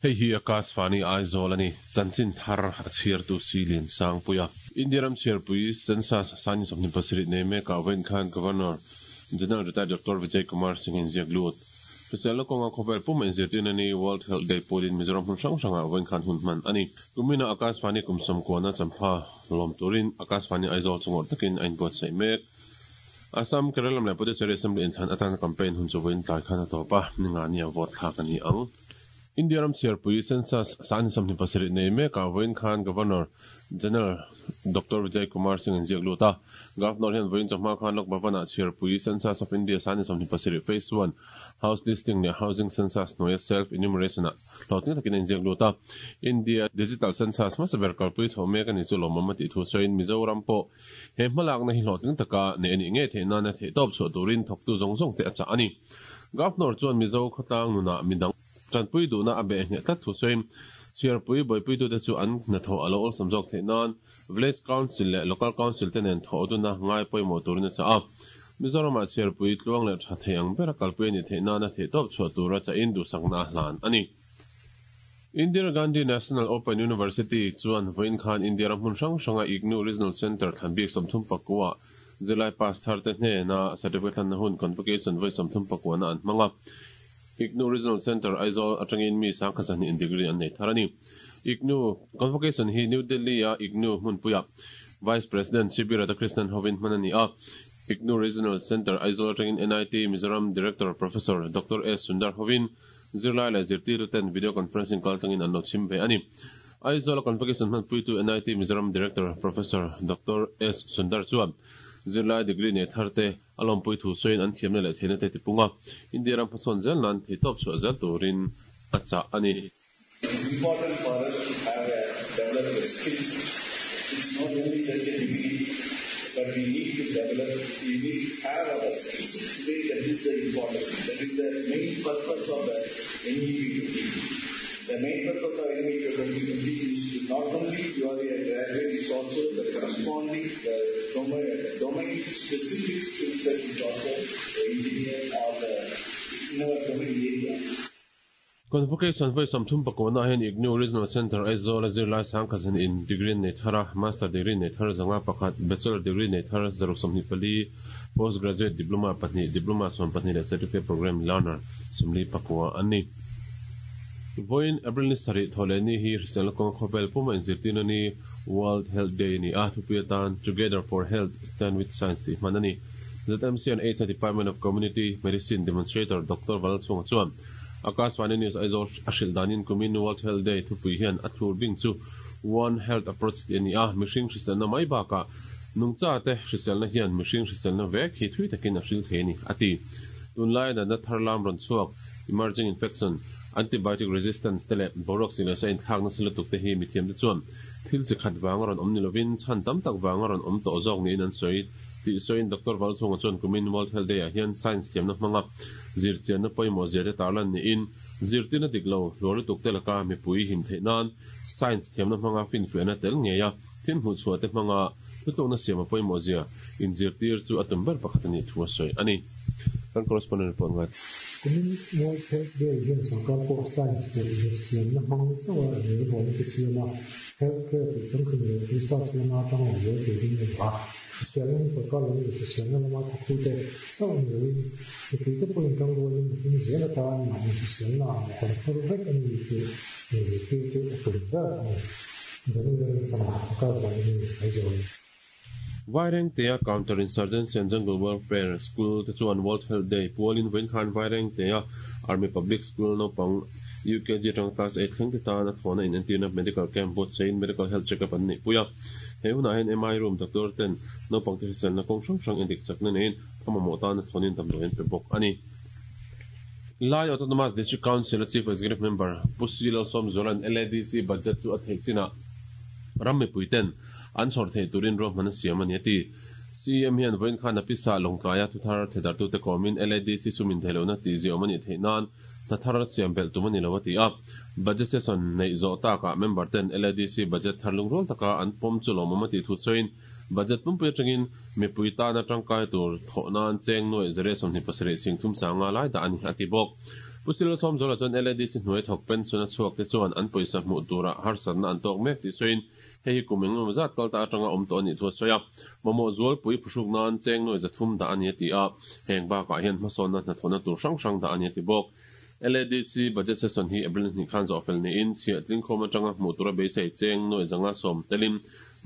Hei hi Akashvani Aizawl a ni. Chanchin thar a chhiartu si Lian Sangpuia. India ram chhiarpui Census Sani 27 nei mekah vawiin khan Governor General Retired Doctor Vijay Kumar Singh in ziak lut. Hriselna kawnga khawvel puma inzirtirna ni World Health Day pualin Mizoram hmun hrang hrangah vawiin khan hun hman a ni. Kumina Akashvani kum sawmkuana champha lawm turin Akashvani Aizawl chu ngawrh takin a inbuatsaih mek. Assam, Kerala leh Puducherry Assembly inthlan atana campaign hun chu vawiin tlai khan a tawp a, ninga nia vote thlak a ni ang. India ram chhiarpui Census 27 nei mekah vawiin khan Governor General Doctor Vijay Kumar Singh in ziak lut a. Governor hian vawiin chawhma khan Lok Bhavan-ah chhiarpui Census of India 27 Phase 1 House Listing leh Housing Census hnuaia Self Enumeration-ah hlawhtling takin a inziak lut a. India Digital Census hmasa ber kalpui chho mek a ni chu lawmawm a tih thu sawiin Mizoram pawh he hmalakna hi hlawhtling taka neih a nih ngei theih nana theihtawp chhuah turin thawktu zawng zawng te a chah a ni. Governor chuan Mizo khawtlang nunah midang tanpui duhna a beh hneh tlat thu sawiin chhiarpui buaipuitute chu an hnathawh a lo awlsam zawk theih nan Village Council leh Local Council te nen thawh duna ngai pawimawh turin a chah a. Mizoramah chhiarpui tluang leh tha thei ang bera kalpui a nih theih nana theihtawp chhuah tura chahin duhsakna a hlan a ni. Indira Gandhi National Open University chuan vawiin khan India ram hmun hrang hranga IGNOU Regional Centre thlan bik 39 ah zirlai pass thar te hnena certificate hlanna hun convocation vawi 34 na an hmang a. IGNOU Regional Centre Aizawl atangin mi 120 in degree an nei thar a ni. IGNOU convocation hi New Delhi a IGNOU hmunpuiah Vice President C B Radhakrishnan hovin hman a ni a. IGNOU Regional Centre Aizawl atangin NIT Mizoram Director Professor Doctor S Sundar hovin Zirlai leh zirtirtu ten video conferencing kaltlangin an lo chhim ve a ni. Aizawl a convocation hmanpuitu NIT Mizoram Director Professor Doctor S Sundar chuan zirlai degree nei thar te a lawmpui thu sawiin an thiamna leh theihna te tipung a, India ram hmasawn zel nan theihtawp chhuah zel turin a chah a ni. It's important for us to have a develop a skills. It's not only just a degree, but we need to develop, we need to have our skills. Today that is the important thing. That is the main purpose of the NEP 2020. The main purpose of NEP 2020 is to not only you are a graduate, it's also the corresponding the domain, domain specific skill set is also the engineer or the in our domain area. Convocation vawi 39 ah hian IGNOU Regional Centre Aizawl a zirlai sangkhat zan in degree an nei thar a, Master degree nei thar 51, Bachelor degree nei thar 124, Postgraduate Diploma pahnih, Diploma 12 leh Certificate Programme Learner 49 an ni. Vawiin April ni sarih thawh leh ni hi hriselna kawnga khawvel puma inzirtirna ni World Health Day a ni a, thupui atan Together for Health, Stand with Science tih hman a ni. ZMC and HI Department of Community Medicine Demonstrator Doctor Valchhunga chuan Akashvani News Aizawl a hrilh danin kumin World Health Day thupui hian a thlur bing chu One Health Approach tih a ni a, mihring hriselna mai bakah nungcha te hriselna hian mihring hriselna vek hi thui takin a hril thei a ni, a ti. Tunlai natna thar lam rawn chhuak, emerging infection, antibiotic resistance te leh boruak sik leh sa inthlak nasa lutuk te hi mithiamte chuan thil chi khat vanga rawn awm ni lovin chhan tam tak vanga rawn awm tawh zawk niin an sawi tih sawiin Doctor Valchhunga chuan kumin World Health Day ah hian science thiamna hmanga zirchianna pawimawh zia te tarlan niin zirtirna dik lo hluar lutuk te laka mipui him theih nan science thiamna hmanga finfiahna tel ngei a, thil hmuh chhuah te hmanga thutlukna siam a pawimawh zia inzirtir chu a tum ber pakhat a nih thu a sawi a ni. Kan correspondent report ngai. Kumin World Health Day hian sorkar pawh science leh zirchianna hmang chauha relbawlna te siam a, health care tih changtlung leh research lama tang awm zel turin a duh a. Hriselna hi sorkar lam leh hriselna lama thawktute chauh ni loin mipuite pawhin tangrualin mihring zel atan mahni hriselna ah mawh kan phur vek a ni tih inzirtir chu a tum ber a ni. Daniel Rinchhana, Akashvani News, Aizawl. Vairengtea Counter Insurgency and Jungle Warfare School te chuan World Health Day pualin vawiin khan Vairengtea Army Public School naupang UKG atanga Class 8 thleng te tan a thlawhna inentirna Medical Camp buatsain Medical Health Check-up an neih pui a. He hunah hian MI Room doctor ten naupangte hriselna kawng hrang hrang endik chakna neiin a mamawh tana thlawnin damdawi an pe bawk a ni. Lai Autonomous District Council a Chief Executive Member Pu Si Lalsawmzuala'n LADC budget chu a theih chinah ram mipui ten an chhawr theih turin ruahman a siam a ni a ti. CEM hian vawiin khan a pisa lawngtlaia thuthar thedartute kawmin LADC sum intheihlohna tih ziaawm a nih theih nan hna thar siam belh tum a ni lo a ti a. Budget session neih zawh takah member ten LADC budget thar lungrual taka an pawm chu lawmawm a tih thu sawiin budget pumpui atangin mipui tana tangkai tur thawh nan cheng nuaih zere 27 sing thum sanga lai dah a ni a ti bawk. Pu Silosawmzuala chuan LADC hnuai thawk pension a chhuak te chuan an pawisa hmuh turah harsatna an tawk mek tih sawiin hei hi kum engemaw zat kal ta atanga awm tawh a nih thu a sawi a. Mamawh zualpui phuhruk nan cheng nuai 300 dah a ni a ti a, heng bakah hian hmasawnna hnathawhna tur hrang hrang dah a ni a ti bawk. LADC budget session hi April hnih khan zawh fel niin chhiah tlingkhawm atanga hmuh tura beisei cheng nuai 510 telin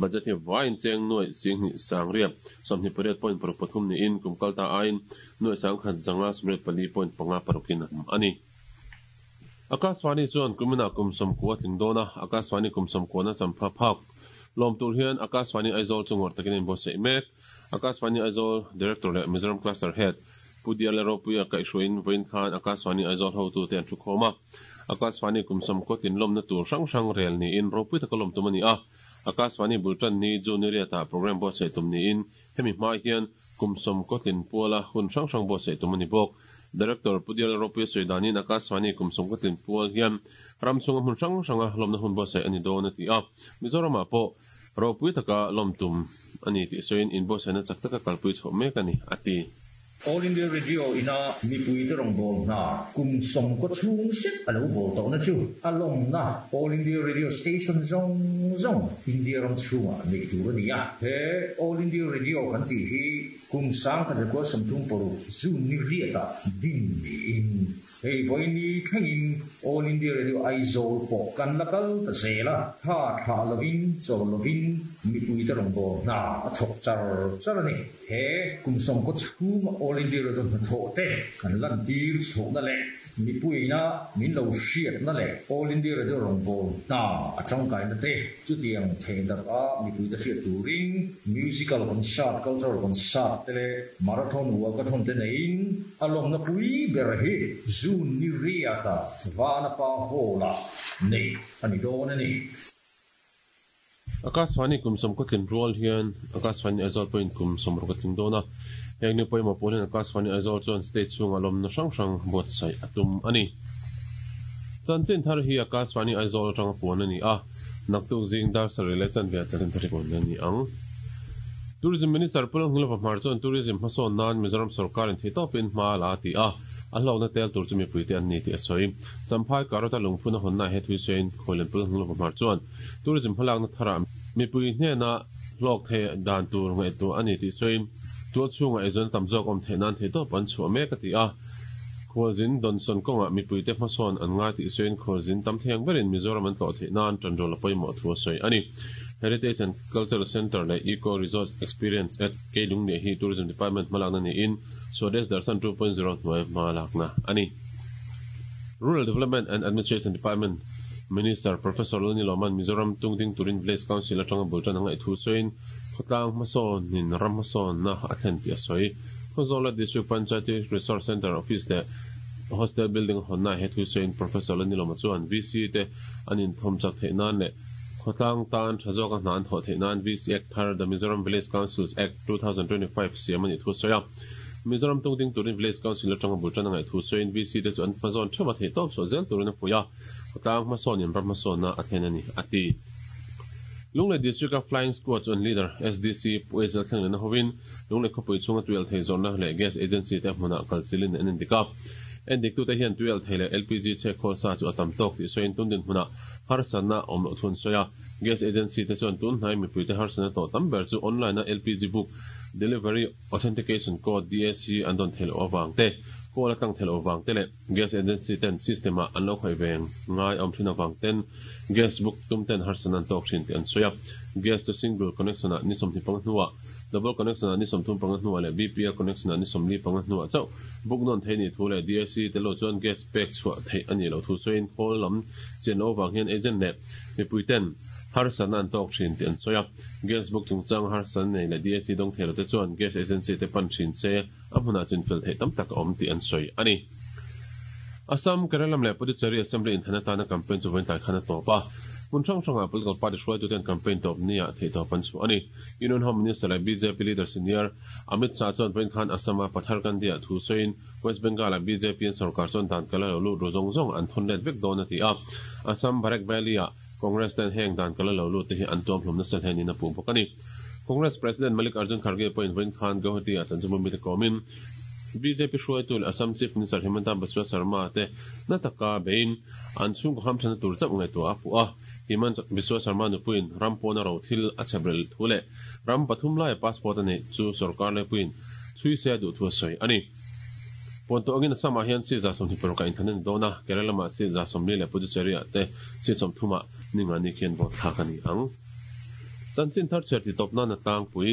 budget hi vaiin cheng nuai 10,000 sangriat 28 point paruk pathum niin kum kal ta aiin nuai 1,000 zanga 84 point panga parukin a awm a ni. Akashvani chuan kuminah kum 90 a tling dawn a, Akashvani kum 90 na champha phak lawm tur hian Akashvani Aizawl chu ngawrh takin a inbuatsaih mek. Akashvani Aizawl Director leh Mizoram Cluster Head Pu Diala Ropuia kaihhruaiin vawiin khan Akashvani Aizawl hotute an thukhawm a. Akashvani kum 90 tlin lawmna tur hrang hrang rel niin ropui taka lawm tum a ni a. Akashvani bultan ni June ni riatah programme buatsaih tum niin hemi hma hian kum 90 tlin puala hun hrang hrang buatsaih tum a ni bawk. Director Pu Diala Ropuia sawi danin Akashvani kum 90 tlin pual hian ram chhunga hmun hrang hranga lawmna hun buatsaih a ni dawn a ti a. Mizoramah pawh ropui taka lawm tum a ni tih sawiin inbuatsaihna chak taka kalpui chhoh mek a ni, a ti. All India Radio ina mipuite rawngbâwl hna kum 90 chhung zet a lo bawl tawhna chu a lawmna All India Radio Station zawng zawng India ram chhungah neih tur a ni a. He All India Radio kan tih hi kum 1936 June ni riatah din niin Hei vawiini thlengin All India Radio Aizawl pawh kan la kal ta zel a, tha thlah lovin chawl lovin mipuite rawngbâwl hna a thawk char char a ni. He kum 90 chhunga All India Radio hnathawh te kan lantir chhohna leh mipuiina min lo hriatna leh All India Radio rawngbâwl hna a tangkaina te chutiang thehdarh a mipuite hriat turin Musical Concert, Cultural Concert te leh Marathon Walkathon te neiin A lawmna pui ber hi June ni riata Vanapa Hall-ah neih a ni dawn a ni. Akashvani kum 90 tlin rual hian Akashvani Aizawl pawhin kum 60 a tling dawn a. Heng ni pawimawh pawl hian Akashvani Aizawl chuan state chhungah lawmna hrang hrang buatsaih a tum a ni. Chanchin thar hi Akashvani Aizawl atanga puan a ni a. Naktuk zing dar sarih leh chanve ah chanchin thar hi puan a ni ang. Tourism Minister Pu Lalnghilova Hmar chuan Tourism hmasawn nan Mizoram sawrkarin theihtawpin hma a la a ti a, a hlawkna tel tur chu mipuite an ni tih a sawi. Champhai Karota lungphun a hawnna he thuisawiin Khuallian Pu Lalnghilova Hmar chuan Tourism hmalakna tharah mipui hnena hlawk theih dan tur ngaihtuah a ni tih sawiin tual chhungah eizawn tam zawk awm theih nan theihtawp an chhuah mek a ti a. Khualzin Donson kawngah mipuite hmasawn an ngai tih sawiin khualzin tam thei ang berin Mizoram an tlawh theih nan tanrual a pawimawh thu a sawi a ni. Heritage and Cultural Centre leh Eco Resort Experience at Keilungliah hi Tourism Department hmalakna niin Swadesh Darshan 2.0 hnuai hmalakna a ni. Rural Development and Administration Department Minister Professor Lani Lawman Mizoram tungding turin Village Council atanga bul tan a ngaih thu sawiin khawtlang hmasawnin ram hmasawnna a thlen tih a sawi. Khawzawla District Panchayati Resource Centre Office leh Hostel Building hawnna he thu sawiin Professor Lanilawma chuan VC te an inthawm chak theih nan leh khawtlang tan tha zawka hna an thawh theih nan VC Act thar The Mizoram Village Councils Act, 2025 siam a nih thu a sawi a. Mizoram tungding turin Village Council atanga bul tan a ngaih thu sawiin VC te chu an hmazawn theuh a theihtawp chhuah zel turin a fuih a, khawtlang hmasawnin ram hmasawnna a thlen a ni, a ti. Lunglei District-a Flying Squad chuan Leader SDC Pu Ezel Thlenglena hovin Lunglei khawpui chhunga tuialh thei zawrhna leh Gas Agency te hmunah kal chilin an endik a. Endiktute hian tuialh thei leh LPG chhek khawl sa chu a tam tawk tih sawiin tun dinhmunah harsatna awm loh thu an sawi a. Gas Agency te chuan tun hnai mipuite harsatna tawh tam ber chu online-a LPG book Delivery Authentication Code, DAC, an dawn theih loh avang te, call a tlang theih loh avang te leh Gas Agency ten system-ah an lo khawih ve ngai awm thin avang ten gas book tum ten harsatna an tawk thin tih an sawi a. Gas chu single connection-ah ni 25 hnuah Double connection ah ni 35 hnuah leh BPL connection ah ni 45 hnuah chauh book nawn theih nih thu leh DAC te lo chuan gas pek chhuah theih a nih loh thu sawiin khawl lam chian loh avang hian agent leh mipui ten harsatna an tawk thin tih an sawi a. Gas book chungchang harsatna nei leh DAC dawng thei lo te chuan gas agency te pan thin se a hmunah chinfel theih tam tak a awm tih an sawi a ni. Assam, Kerala leh Puducherry Assembly inthlan atana campaign chu vawiin tlai khan a tawp a. Hmun hrang hrangah political party hruaituten campaign tawp niah theihtawp an chhuah a ni. Union Home Minister leh bjp leader senior Amit Shah chuan vawiin khan Assam-a Patharkandi-ah thu sawiin West Bengal-ah bjp an sorkar chuan dan kal a lo lut ru zawng zawng an thawn let vek dawn a ti a. Assam Barak Valley-ah Congress ten heng dan kal a lo lut te hi an tuam hlum nasa hle niin a puh bawk a ni. Congress President Mallikarjun Kharge pawhin vawiin khan Guwahati-ah chanchinbu mite kawmin Bjp hruaitu leh Assam Chief Minister Himanta Biswa Sarma te na taka beiin an chhungkaw hamthanna tur chauh ngaihtuah a puh a. Himanta Biswa Sarma nupuiin ram pawna ro thil a chhebrel thu leh ram pathum laia passport a neih chu sorkar laipuiin chhui se a duh thu a sawi a ni. Puan tawh angin Assam-ah hian seat 26 a inthlan a ni dawn a, Kerala-ah seat 40 leh Puducherry-ah te seat 30 ah ningani khian vote thlak a ni ang. Chanchin thar chhiar ti tawp nan a tlangpui.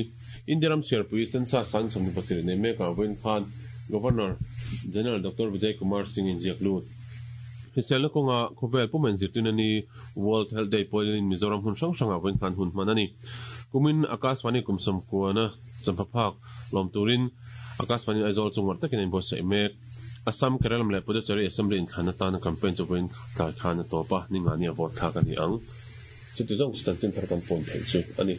India ram chhiarpui Census 27 nei mekah vawiin khan Governor General Doctor Vijay Kumar Singh inziak lut. Hriselna kawnga khawvel pum enzirtirna ni World Health Day pawilin Mizoram hmun hrang hrangah vawiin khan hun hman a ni. Kumin Akashvani kum sawmkuana champha phak lawm turin Akashvani Aizawl chu ngawrh takin a inbuatsaih mek. Assam, Kerala leh Puducherry Assembly inthlan atana campaign chu vawiin tlai khan a tawp a, ningani a vote thlak a ni ang. Chuti zawng chu chanchin thar kan pawn theih chu a ni.